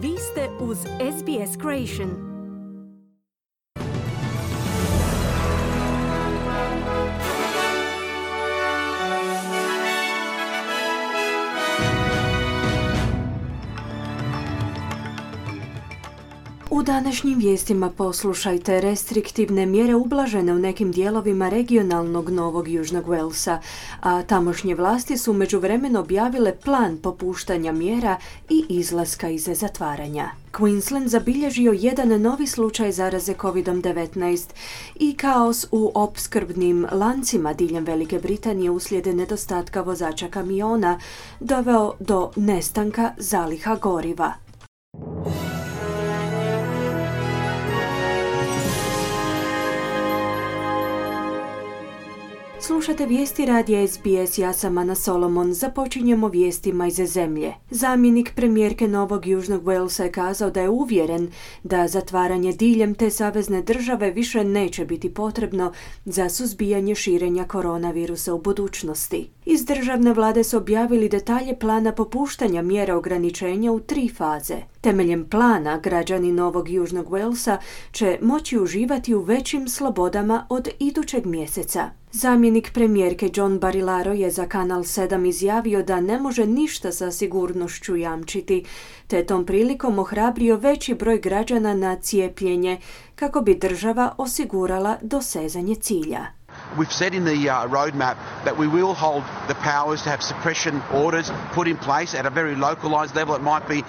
Vi ste uz SBS Creation. U današnjim vijestima poslušajte: restriktivne mjere ublažene u nekim dijelovima regionalnog Novog Južnog Walesa, a tamošnje vlasti su međuvremeno objavile plan popuštanja mjera i izlaska iz zatvaranja. Queensland zabilježio jedan novi slučaj zaraze COVID-19 i kaos u opskrbnim lancima diljem Velike Britanije uslijed nedostatka vozača kamiona doveo do nestanka zaliha goriva. Slušate vijesti radija SBS, ja sam Ana Solomon. Započinjemo vijestima iz zemlje. Zamjenik premijerke Novog Južnog Walesa je kazao da je uvjeren da zatvaranje diljem te savezne države više neće biti potrebno za suzbijanje širenja koronavirusa u budućnosti. Iz državne vlade su objavili detalje plana popuštanja mjera ograničenja u 3 faze. Temeljem plana, građani Novog Južnog Walesa će moći uživati u većim slobodama od idućeg mjeseca. Zamjenik premijerke John Barilaro je za Kanal 7 izjavio da ne može ništa sa sigurnošću jamčiti, te tom prilikom ohrabrio veći broj građana na cijepljenje kako bi država osigurala dosezanje cilja. We've said in the roadmap that we will hold the powers to have suppression orders put in place at a very localized level. It might be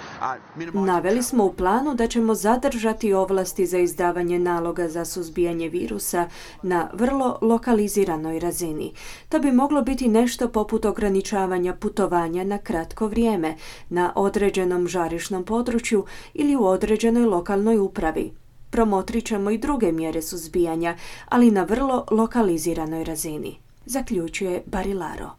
Naveli smo u planu da ćemo zadržati ovlasti za izdavanje naloga za suzbijanje virusa na vrlo lokaliziranoj razini. To bi moglo biti nešto poput ograničavanja putovanja na kratko vrijeme na određenom žarišnom području ili u određenoj lokalnoj upravi. Promotrit ćemo i druge mjere suzbijanja, ali na vrlo lokaliziranoj razini, zaključuje Barilaro.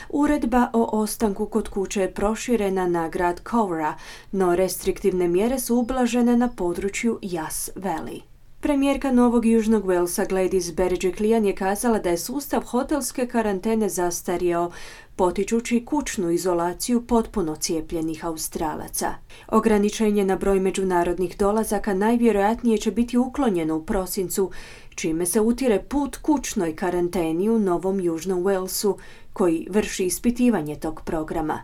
Uredba o ostanku kod kuće je proširena na grad Cowra, no restriktivne mjere su ublažene na području Yass Valley. Premijerka Novog Južnog Walesa Gladys Berejiklian je kazala da je sustav hotelske karantene zastario, potičući kućnu izolaciju potpuno cijepljenih Australaca. Ograničenje na broj međunarodnih dolazaka najvjerojatnije će biti uklonjeno u prosincu, čime se utire put kućnoj karanteni u Novom Južnom Walesu, koji vrši ispitivanje tog programa.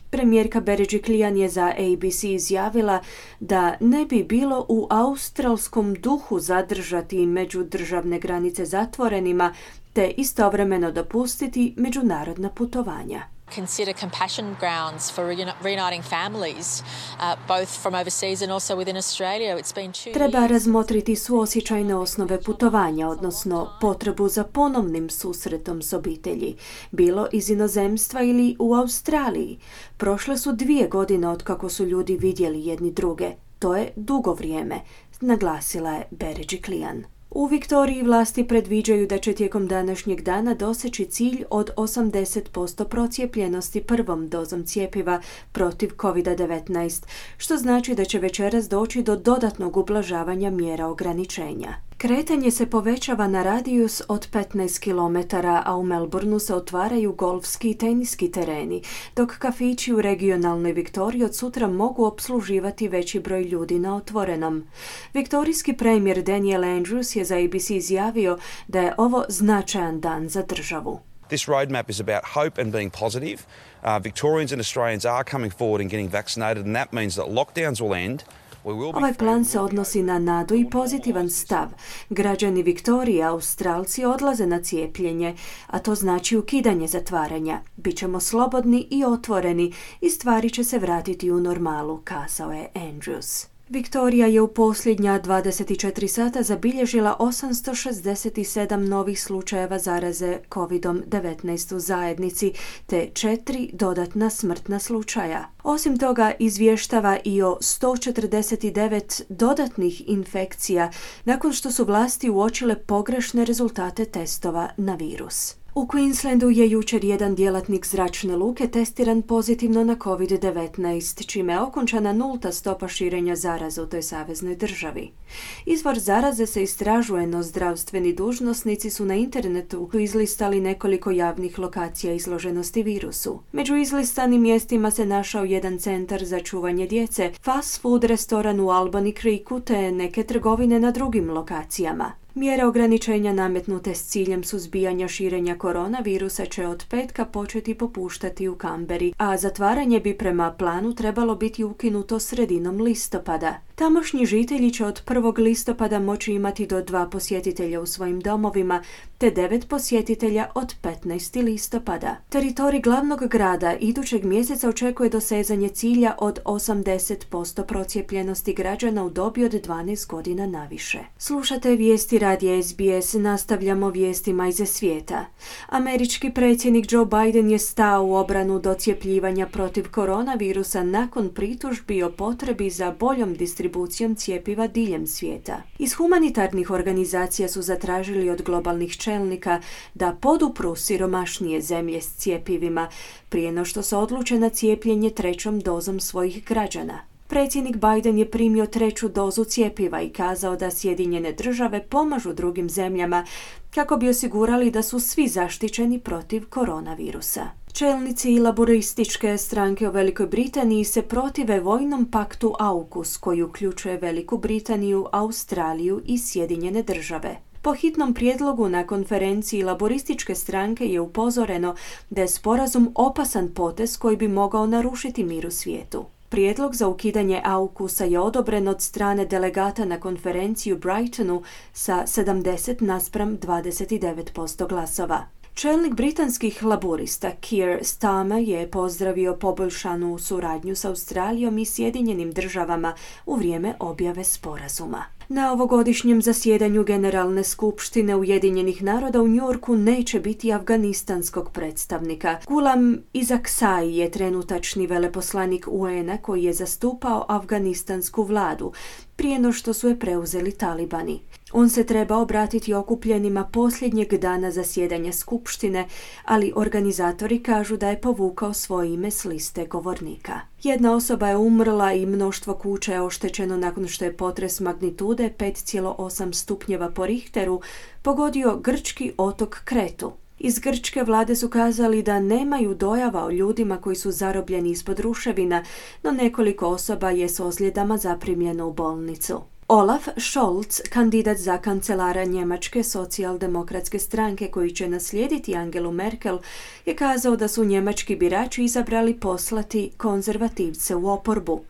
Premijerka Berejiklian je za ABC izjavila da ne bi bilo u australskom duhu zadržati međudržavne granice zatvorenima te istovremeno dopustiti međunarodna putovanja. Consider compassion grounds for reuniting families, both from overseas and also within Australia. It's been 2 Treba razmotriti suosjećajne osnove putovanja, odnosno potrebu za ponovnim susretom s obitelji, bilo iz inozemstva ili u Australiji. Prošle su 2 godine otkako su ljudi vidjeli jedni druge. To je dugo vrijeme, naglasila je Berejiklian. U Viktoriji vlasti predviđaju da će tijekom današnjeg dana doseći cilj od 80% procijepljenosti prvom dozom cjepiva protiv COVID-19, što znači da će večeras doći do dodatnog ublažavanja mjera ograničenja. Kretanje se povećava na radijus od 15 km, a u Melbourneu se otvaraju golfski i teniski tereni, dok kafići u regionalnoj Viktoriji od sutra mogu opsluživati veći broj ljudi na otvorenom. Viktorijski premijer Daniel Andrews je za ABC izjavio da je ovo značajan dan za državu. This roadmap is about hope and being positive. Victorians and Australians are coming forward and getting vaccinated, and that means that lockdowns will end. Ovaj plan se odnosi na nadu i pozitivan stav. Građani Viktorije, Australci, odlaze na cijepljenje, a to znači ukidanje zatvaranja. Bićemo slobodni i otvoreni i stvari će se vratiti u normalu, kazao je Andrews. Viktorija je u posljednja 24 sata zabilježila 867 novih slučajeva zaraze COVID-19 u zajednici, te 4 dodatna smrtna slučaja. Osim toga, izvještava i o 149 dodatnih infekcija nakon što su vlasti uočile pogrešne rezultate testova na virus. U Queenslandu je jučer jedan djelatnik zračne luke testiran pozitivno na COVID-19, čime je okončana nulta stopa širenja zaraze u toj saveznoj državi. Izvor zaraze se istražuje, no zdravstveni dužnosnici su na internetu izlistali nekoliko javnih lokacija izloženosti virusu. Među izlistanim mjestima se našao jedan centar za čuvanje djece, fast food restoran u Albany Creeku te neke trgovine na drugim lokacijama. Mjere ograničenja nametnute s ciljem suzbijanja širenja koronavirusa će od petka početi popuštati u Canberri, a zatvaranje bi prema planu trebalo biti ukinuto sredinom listopada. Tamošnji žitelji će od 1. listopada moći imati do 2 posjetitelja u svojim domovima, te 9 posjetitelja od 15. listopada. Teritorij glavnog grada idućeg mjeseca očekuje dosezanje cilja od 80% procijepljenosti građana u dobi od 12 godina naviše. Slušate vijesti radija SBS, nastavljamo vijestima iz svijeta. Američki predsjednik Joe Biden je stao u obranu docjepljivanja protiv koronavirusa nakon pritužbi o potrebi za boljom distribucijom cjepiva diljem svijeta. Iz humanitarnih organizacija su zatražili od globalnih čelnika da podupru siromašnije zemlje s cjepivima prije no što se odluče na cijepljenje 3. dozom svojih građana. Predsjednik Biden je primio 3. dozu cjepiva i kazao da Sjedinjene države pomažu drugim zemljama kako bi osigurali da su svi zaštićeni protiv koronavirusa. Čelnici i laborističke stranke u Velikoj Britaniji se protive vojnom paktu AUKUS koji uključuje Veliku Britaniju, Australiju i Sjedinjene države. Po hitnom prijedlogu na konferenciji laborističke stranke je upozoreno da je sporazum opasan potez koji bi mogao narušiti mir u svijetu. Prijedlog za ukidanje AUKUS-a je odobren od strane delegata na konferenciji u Brightonu sa 70:29% glasova. Čelnik britanskih laborista Keir Starmer je pozdravio poboljšanu suradnju s Australijom i Sjedinjenim državama u vrijeme objave sporazuma. Na ovogodišnjem zasjedanju Generalne skupštine Ujedinjenih naroda u New Yorku neće biti afganistanskog predstavnika. Gulam Isaksai je trenutačni veleposlanik UN-a koji je zastupao afganistansku vladu prije no što su je preuzeli talibani. On se treba obratiti okupljenima posljednjeg dana zasjedanja skupštine, ali organizatori kažu da je povukao svoje ime s liste govornika. Jedna osoba je umrla i mnoštvo kuća je oštećeno nakon što je potres magnitude 5,8 stupnjeva po Richteru pogodio grčki otok Kretu. Iz grčke vlade su kazali da nemaju dojava o ljudima koji su zarobljeni ispod ruševina, no nekoliko osoba je s ozljedama zaprimljeno u bolnicu. Olaf Scholz, kandidat za kancelara Njemačke socijaldemokratske stranke koji će naslijediti Angelu Merkel, je kazao da su njemački birači izabrali poslati konzervativce u oporbu.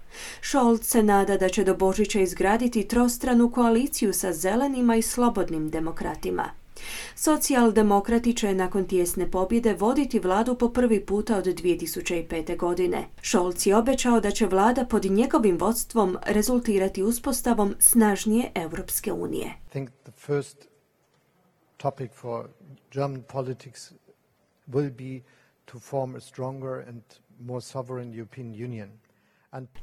Scholz se nada da će do Božića izgraditi trostranu koaliciju sa zelenima i slobodnim demokratima. Socijaldemokrati će nakon tijesne pobjede voditi vladu po prvi puta od 2005. godine. Scholz je obećao da će vlada pod njegovim vodstvom rezultirati uspostavom snažnije Europske unije. I think the first topic for German politics will be to form a stronger and more sovereign European Union.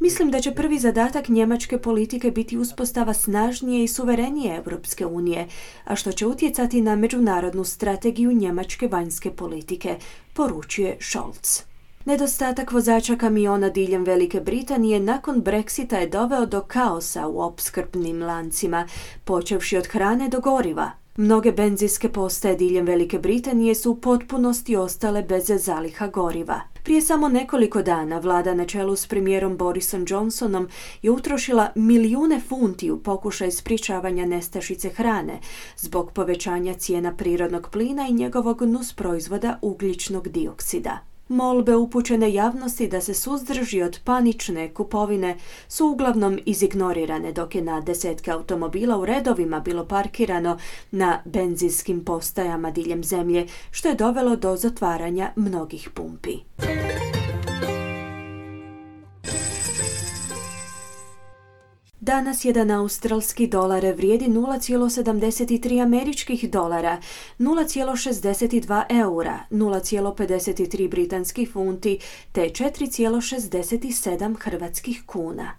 Mislim da će prvi zadatak njemačke politike biti uspostava snažnije i suverenije Europske unije, a što će utjecati na međunarodnu strategiju njemačke vanjske politike, poručuje Scholz. Nedostatak vozača kamiona diljem Velike Britanije nakon Brexita je doveo do kaosa u opskrbnim lancima, počevši od hrane do goriva. Mnoge benzinske postaje diljem Velike Britanije su u potpunosti ostale bez zaliha goriva. Prije samo nekoliko dana vlada na čelu s premijerom Borisom Johnsonom je utrošila milijune funti u pokušaj sprječavanja nestašice hrane zbog povećanja cijena prirodnog plina i njegovog nusproizvoda ugljičnog dioksida. Molbe upućene javnosti da se suzdrži od panične kupovine su uglavnom izignorirane, dok je na desetke automobila u redovima bilo parkirano na benzinskim postajama diljem zemlje, što je dovelo do zatvaranja mnogih pumpi. Danas jedan australski dolar vrijedi 0,73 američkih dolara, 0,62 eura, 0,53 britanskih funti te 4,67 hrvatskih kuna.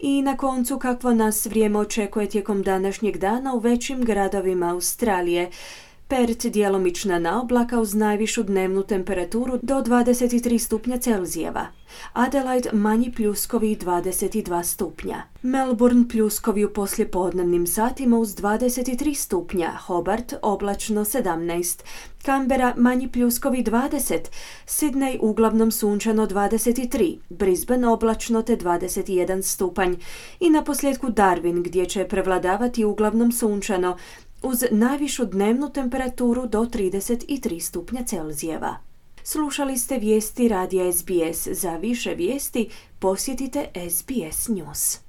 I na koncu, kakvo nas vrijeme očekuje tijekom današnjeg dana u većim gradovima Australije. Perth djelomična naoblaka uz najvišu dnevnu temperaturu do 23 stupnja Celzijeva. Adelaide manji pljuskovi 22 stupnja. Melbourne pljuskovi u poslijepodnevnim satima uz 23 stupnja. Hobart oblačno 17. Canberra manji pljuskovi 20. Sydney uglavnom sunčano 23. Brisbane oblačno te 21 stupanj. I na posljedku Darwin gdje će prevladavati uglavnom sunčano uz najvišu dnevnu temperaturu do 33 stupnja Celzijeva. Slušali ste vijesti radija SBS. Za više vijesti posjetite SBS News.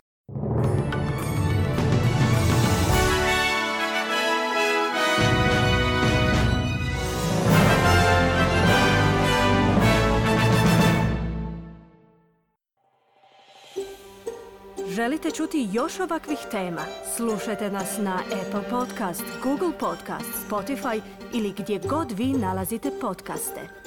Želite čuti još ovakvih tema? Slušajte nas na Apple Podcast, Google Podcast, Spotify ili gdje god vi nalazite podcaste.